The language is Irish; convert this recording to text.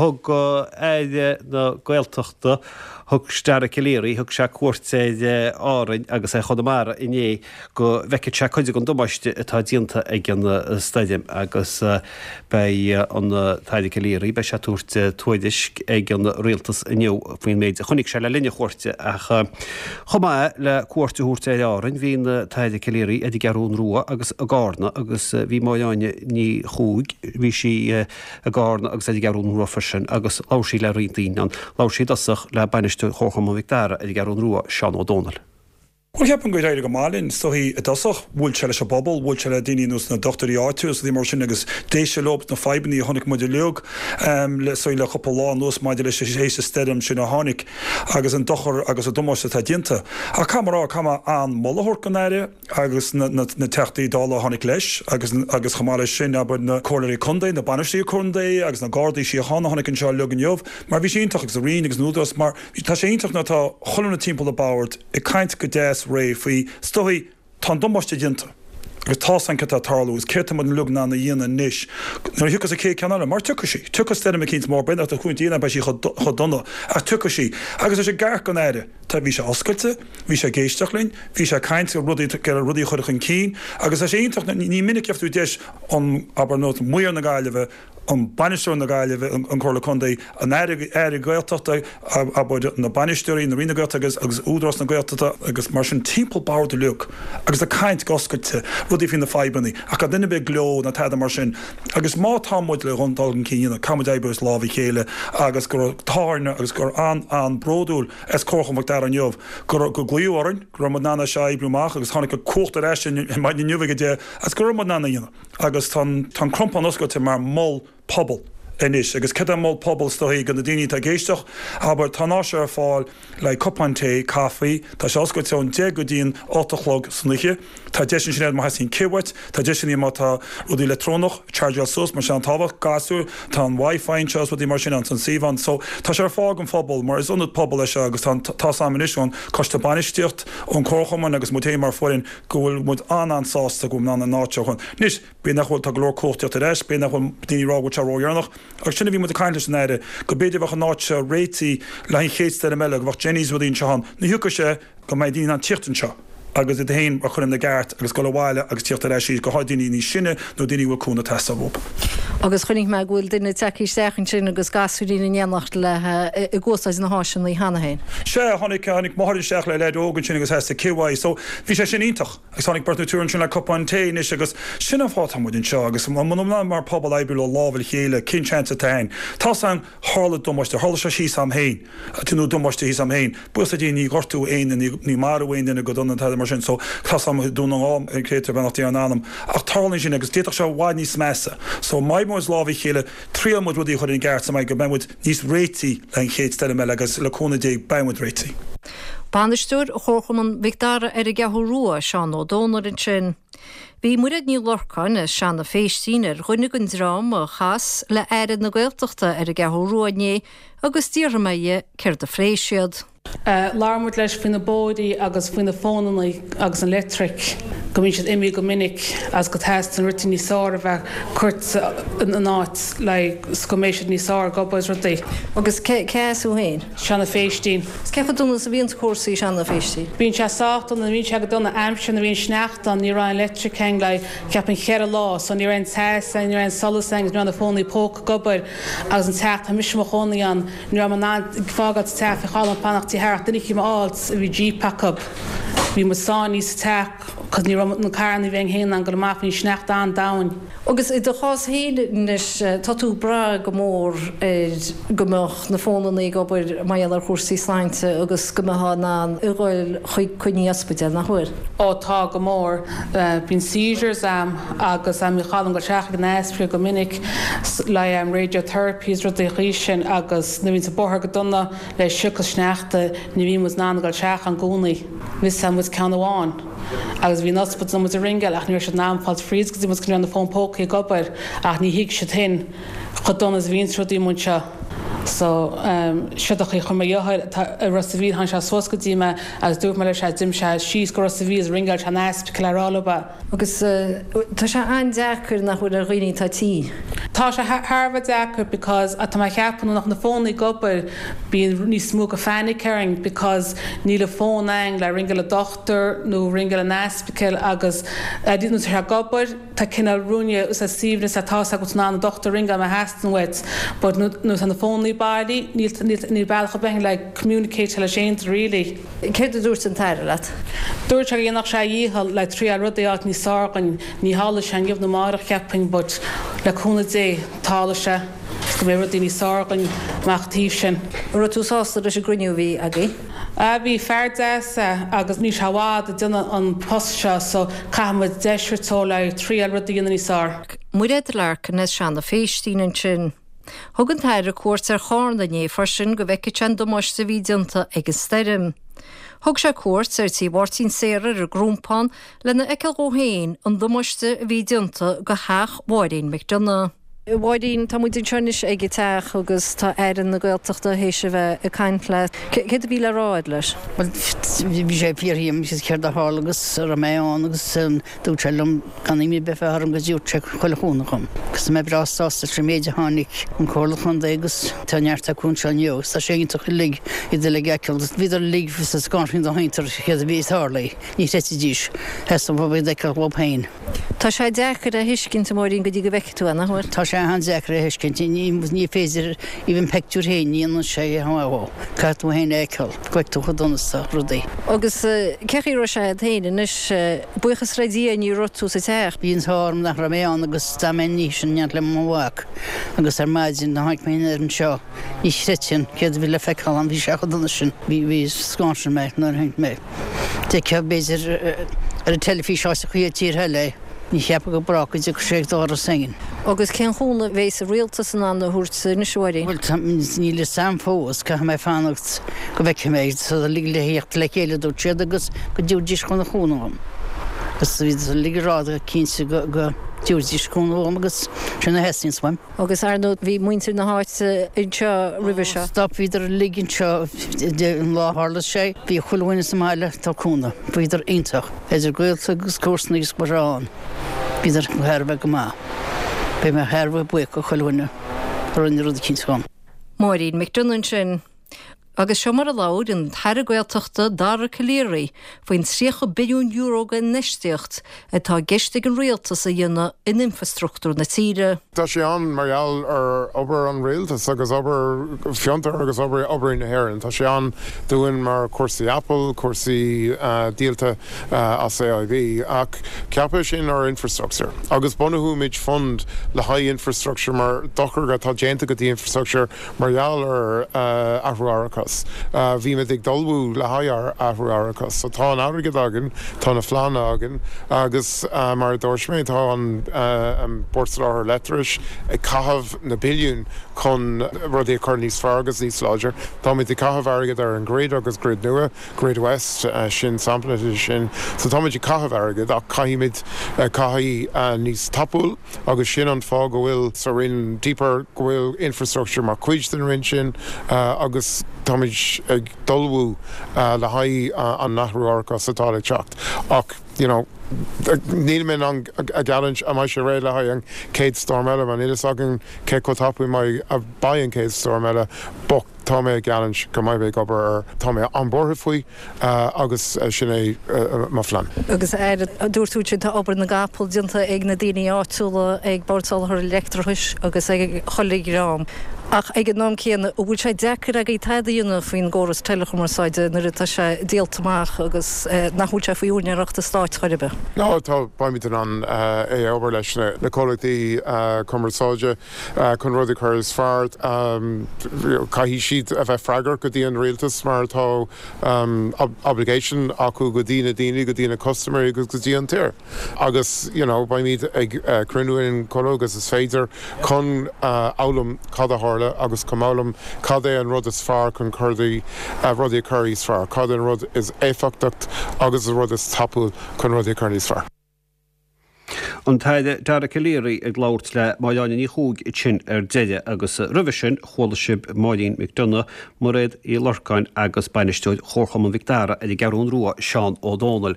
Thug Aire na Gaeltachta, thug Dara Calleary, thug sé cuairt ar Árainn agus ar Chonamara inné go bhfeicfeadh sé cuid den damáiste atá déanta ag an stoirm agus beidh an tAire Calleary, beidh sé ag tabhairt tuairisc ag an Rialtas inniu faoin méid a chonaic sé le linn a chuairte ach chomh maith le cuairt a thabhairt ar Árainn bhí an tAire Calleary ar an gCeathrún Rua agus i gCarna agus bhí Máire Áine Ní Chuaig, bhí sí i gCarna agus ar an gCeathrún Rua freisin agus labhair sí le roinnt daoine ann. Labhair sí i dtosach le bainisteoir Chomharchumann Mhic Dara ar an gCeathrún Rua, Seán Ó Dónaill. Bhuel, ceapaim gur éirigh go maith linn, is dóichí, i dtosach. Bhuail sé leis an bpobal, bhuail sé le daoine ar nós na dochtúirí áitiúla is rudaí mar sin agus d'éist sé leo na fadhbanna a chonaic muid uilig le so le cúpla lá anuas maidir leis théis an stoirm sin a tháinig agus an dochar agus an damáiste atá déanta. Ach caithfidh mé a rá, caithfidh mé an-mholadh a thabhairt don Aire. agus na Teachtaí Dála a tháinig leis agus agus chomh maith leis sin, abair, na Comhairleoirí Contae, na Bainisteoirí Contae agus na Gardaí Síochána a tháinig anseo uilig inniu mar bhí sé iontach agus an Roinn agus an Údarás mar tá sé iontach nuair atá chuile dhuine timpeall an bhoird ag caint go deas réidh faoi is dóichí tá an damáiste déanta agus tá's againn céard atá ag tarlú agus céard tá muid uilig in ann a dhéanamh anois nuair a thiocfas an chéad ceann eile mar tiocfaidh sí, tiocfaidh stoirm eicínt mór, b'fhéidir nach dtiocfaidh sí beidh sí chomh dona ach tiocfaidh sí agus tá sé ceart don Aire. Tá, bhí sé oscailte, bhí sé ag éisteacht linn, bhí sé ag caint ar rudaí, ag iarraidh rudaí a chur chun cinn agus tá sé iontach, ní minic a gheibh tú deis an, abair, nós Maor na Gaillimhe, an Bainisteoir na Gaillimhe, an Comhairle Contae, an Aire, Aire Gaeltachta, abair, na bainisteoirí, na Roinn na Gaeltachta agus, agus Údarás na Gaeltachta agus mar sin timpeall boird uilig agus ag caint go oscailte, rudaí faoi na fadhbannaí ach gan duine ar bith ag gleo ná tada mar sin agus má tá muid le dul chun cinn a dhéanamh, caithfidh muid oibriú as lámh a chéile agus go raibh t-ádh orainn agus gur an-an-bhródúil as Comharchumann Mhic Dara inniu go raibh, go glaodh orainn, go raibh muid in ann é seo a oibriú amach agus tháinig an cumhacht ar ais ar maidin inniu ag 10 agus go raibh muid in ann é a dhéanamh agus tá an, tá an Crompán oscailte mar mhol pobail anois agus céard é mol pobail is dóichí do na daoine atá ag éisteacht, abair, tá an áis seo ar fáil le haghaidh cupán tae, caife, tá sé oscailte ón 10 go dtí an 8 a chlog san oíche. Tá deis ansin agat má theastaíonn cith uait, tá deis ansin má tá rudaí leictreonach, chargeáil suas mar sin an-tábhachtach, gasúir, tá an Wi-Fi anseo is rudaí mar sin ann, an suíomh ann. So tá sé ar fáil don phobal mar is ionad pobail é seo agus tá tá's a'm anois ón coiste bainistíocht, ón comharchumann agus muid féin mar foireann go bhfuil muid an-an-sásta go bhfuil muid in ann an áit seo a chun. Anois, b'fhéidir nach bhfuil, tá go leor cumhacht ag teacht ar ais, b'fhéidir nach bhfuil daoine ag rá go bhfuil sé ródheireanach agus sin a bhí muid ag caint leis an Aire, go b'fhéidir bheadh an áit seo réitithe le haghaidh an chéad stoirm eile, go bheadh Jennies rudaí anseo ann. Ní thiocfaidh sé. go mbeidh daoine in ann tíocht anseo agus iad féin a chur ina gceart agus dul abhaile agus tíocht ar ais arís, go háirid daoine níos sine nó daoine a bhfuil cúnamh ag teastáil uathu. Agus chonaic mé go bhfuil duine tagtha isteach ansin agus gasúirín in éineacht léi ag úsáid na háiseanna cheana féin. Sea, tháinig, tháinig máthair isteach le leaid óg ansin agus theastaigh cith uaidh so bhí sé sin iontach. Agus tháinig beirt nó triúr ansin le cupán tae anois agus sin an fáth atá muid anseo agus muna bhfuil mar pobal oibriú le lámh a chéile, cén seans atá againn? Tá's a'm, tharla damáiste, tharla sé thíos a'm féin. Déanadh damáiste thíos a'm féin. Buíochas le Dia ní gortú aon duine, ní marú aon duine go dona tada mar sin so tá's a'm Dún na nGall an créatúr beannacht Dé ar a anam. Ach tarlaíonn sin agus d'fhéadfadh sé i bhfad níos measa. So má oibríonn muid lámh a chéile, triail muid rudaí a chur ina gceart sa mbeidh go mbeidh muid níos réití le an chéad stoirm eile agus le cúnamh Dé beidh muid réití. Bainisteoir Chomharchumann Mhic Dara ar an gCeathrú Rua, Seán Ó Dónaill ansin. Bhí Muiréad Ní Lorcáin as Seanadh Phéistín ar dhuine den dream a chas le Aire na Gaeltachta ar an gCeathrú Rua inné agus d'fhiafraigh mé dhe céard a phléigh siad. Labhair muid leis faoi na bóithrí agus faoi na fónannaí agus an leictric, go mbíonn siad imithe go minic agus go teastaíonn rudaí níos fearr a bheith curtha in áit like 's go mbeidh siad níos fearr ag obair is rudaí. Agus cé as thú féin? Seanadh Phéistín. Is cé chomh dona is a bhíonns cúrsaí i Seanadh Phéistín? Bíonn sé sách dona, bhíonn sé go dona aimsir nuair a bhíonn sneachta ann, ní raibh aon leictric ann like ceapaim cheithre lá so ní raibh aon teas ann, ní raibh aon solas ann agus ní raibh na fónaí póca ag obair agus an teach, tá mise i mo chónaí ann, ní raibh mé in ann fágáil sa teach, bhí chuile dhuine fanacht tigh thart, duine eicínt a fháilt a bhí jeep acu. Bhí muid sáinnithe sa teach cos ní raibh na carranna a bhí againn féin in ann dul amach, bhí an sneachta an-domhain. Agus i do chás féin anois, tá tú ag brath go mór ar go mbeadh na fónannaí ag obair mar gheall ar chúrsaí sláinte agus go mbeifeá in ann a dhul chuig coinní ospidéil, nach bhfuil? Ó tá, go mór. Bíonn seizures a'm agus bhí chuile dhuine ag dul isteach ag an ospidéal go minic le radiotherapy is rudaí chaoi sin agus nuair a bhíonns an bóthar go dona le sioc is sneachta ní bhíonn muid in ann a dhul isteach ann i gcónaí. Mhissáil muid ceann amháin. Agus bhí an ospidéal muid ag ringeáil ach ní raibh siad in am fáilt fríd go dtí muid go raibh na fón pócaí ag obair ach ní thuig siad féin chomh dona is a bhíonns rudaí amuigh anseo. So siod a chaoi chuir mo dheartháir atá i Ros a' Mhíl tháinig sé suas go dtí mé agus dúirt mé leis é d'imigh sé síos go Ros a' Mhíl is ringeáil sé an ospidéal le rá leo é. Agus tá sé an-deacair nach bhfuil ar dhaoine atá tinn. Tá sé thar a bheith deacair because tá mé a cheapadh nuair nach na fónaí ag obair bíonn níos mó go phanic orainn because níl an fón againn le ringeáil an dochtúir nó ringeáil an ospidéal agus nuair tá sé ag obair tá cineál ruainne is suaimhneas tá's agat in ann an dochtúir a ringeáil má theastaíonn uait but nuair tá na fónaí bailí níl níl bealach ar bith againn le communicate leis aon duine really. Céard a dúirt an tAire leat? Dúirt sé go dhéanfadh sé a dhícheall le triail rudaí a fháilt níos fearr dhuinn. Ní tharlóidh sé inniu nó amárach cheapfainn but le cúnamh Dé tarlóidh sé is go mbeidh rudaí níos fearr dhuinn amach an taobh sin. An raibh tú sásta leis an gcruinniú a bhí agaibh? Ah bhí, fear deas é agus níl sé i bhfad ag déanamh an post seo so caithfidh muid deis a thabhairt dó le triail rudaí a dhéanamh níos fearr. Mairéad Larkin as Seanadh Phéistín ansin. Thug an tAire cuairt ar Chárna inné freisin go bhfeicfeadh sé an damáiste a bhí déanta ag an stoirm. Thug sé cuairt ar tí Mháirtín Saoradh ar an gCrompán lena fheiceáil dhó féin an damáiste a bhí déanta go theach Mháirín McDonagh. A Mháirín, tá muid anseo anois ag an teach agus tá Aire na Gaeltachta théis a bheith ag caint leat. Céard a bhí le rá agat leis? Bhuel, bhí sé ag fiafraí dhíom céard a tharla agus an raibh mé ann agus Dúirt sé liom gan imní ar bith a bheith orm go dtabharfadh sé chuile chúnamh dhom. Agus tá mé breá sásta leis an méid a tháinig an Comhairle Contae agus tá neart acu anseo inniu agus tá sé iontach uilig iad uilig a fheiceáil. Bhíodar uilig sa scanraithe dá thiontar céard a bhí ag tarlú. Ní chreidfidís. Theastaigh uathu iad a fheiceáil dhóibh féin. Tá sé deacair a thuiscint, a Mháirín, go dtí go bhfeicfidh tú é, nach bhfuil? Tá sé an-deacair a thuiscint. Ní féidir, even pictiúr féin, ní dhéanann sé a shamhlú. Caithfidh tú féin é a fheiceáil. Go bhfeice tú chomh dona is atá rudaí. Agus cé chaoi a raibh sé agat féin anois? Buíochas le Dia ní raibh tú sa teach. Bhí an t-ádh orm nach raibh mé ann agus d'fhan mé an oíche sin in éineacht le mo mhac agus ar maidin nuair a tháinig mé aniar anseo ní chreidfinn céard a bhí le feiceáil ann, bhí sé chomh dona sin. Bhí, bhí, scanraigh mé nuair a tháinig mé. D'fheicfeá b'fhéidir ar an teilifís áiteachaí i dtíortha eile é. Ní cheapfá go brách go dtiocfadh sé ag doras éigin. Agus cén chúnamh a bheas an rialtas in ann a thabhairt anois, a Mháirín? Bhuel, níl fhios a'm fós, caithfidh mé fanacht go bhfeicfidh mé. Tá siad uilig le thíocht le chéile, a dúirt siad, agus go dtabharfaidís chun chúnamh dhom. Agus bhíodar uilig ag rá go cinnte go dtabharfaidís cúnamh dhom agus sin a theastaíonns uaim. Agus ar ndóigh bhí muintir na háite anseo roimhe seo. Stop, bhíodar uilig anseo an lá a tharla sé. Bhí chuile dhuine sa mbaile ag tabhairt cúnamh. Bhíodar iontach. Idir gaolta agus comharsanaigh is go raibh ann. Bhíodar thar a bheith go maith. Beidh mé thar a bheith buíoch do chuile dhuine a rinne rud eicínt dhom. Máirín McDonagh ansin. Agus seo mar a labhair an tAire Gaeltachta Dara Calleary faoin €30 billiún d'infheistíocht atá i gceist ag an Rialtas a dhéanamh in infrastruchtúr na tíre. Tá sé ann mar gheall ar obair an Rialtais agus obair fiontar agus obair oibrí na hÉireann. Tá sé ann dúinn mar cúrsaí Apple, cúrsaí díolta as AIB. Ach ceapadh sin ar infrastructure agus bunóimid fund le haghaidh infrastructure mar dochar atá déanta go dtí infrastructure Mar gheall ar athrú árachais, bhímid ag ullmhú le haghaidh athrú árachais. So tá an airgead againn, tá na phleananna againn agus mar a dúirt mé, tá an Bord Soláthair Leictreachais ag caitheamh na billiúin chun rudaí a chur níos fearr agus níos láidir. Táimid ag caitheamh airgead ar an grid agus grid nua, Grid West, sin sampla de sin. So táimid ag caitheamh airgead ach caithfimid caitheamh níos tapúil. Agus sin an fáth go bhfuil sa Roinn Deeper, go bhfuil infrastructure mar chuid den Roinn sin agus táimid ag ullmhú le haghaidh an athrú árachais atá le teacht. Ach, you know, níl mé in ann a gheallúint an mbeidh sé réidh le haghaidh an chéad storm eile mar níl fhios againn cé chomh tapaidh a beidh an chéad storm eile but tá mé ag geallúint go mbeidh mé ag obair air. Tá mé an-buartha faoi agus sin é mo phlean. Agus a Aire, dúirt tú ansin tá obair na gcapall déanta ag na daoine áitiúla, ag Bord Soláthair Leictreachais agus ag chuile dhream. Ach ag an am céanna, an bhfuil sé deacair agaibh tada a dhéanamh faoin gcóras teileachumarsáide nuair atá sé díolta amach agus nach bhfuil sé faoi úinéireacht an stáit chor ar bith? No, tá, beimid in ann é a obair leis na comhlachtaí cumarsáide. Chun rudaí a chur is fearr, caithfidh siad a bheith freagrach go dtí an rialtas mar tá obligation acu go dtí na daoine, go dtí na custaiméirí agus go dtí an tír. Agus you know beimid ag cruinniú in chomh luath agus is féidir chun fhoghlaim cad a tharla agus chun fhoghlaim cad é an rud is fearr chun rudaí a chur níos fearr, cad é an rud is éifeachtacht agus an rud is tapúil chun rudaí a chur níos fearr. An tAire Dara Calleary ag labhairt le Máire Áine Ní Chuaig ansin ar deireadh agus roimhe sin chuala sibh Máirín McDonagh, Mairéad Uí Lorcáin agus Bainisteoir Chomharchumann Mhic Dara ar an gCeathrún Rua, Seán Ó Dónaill.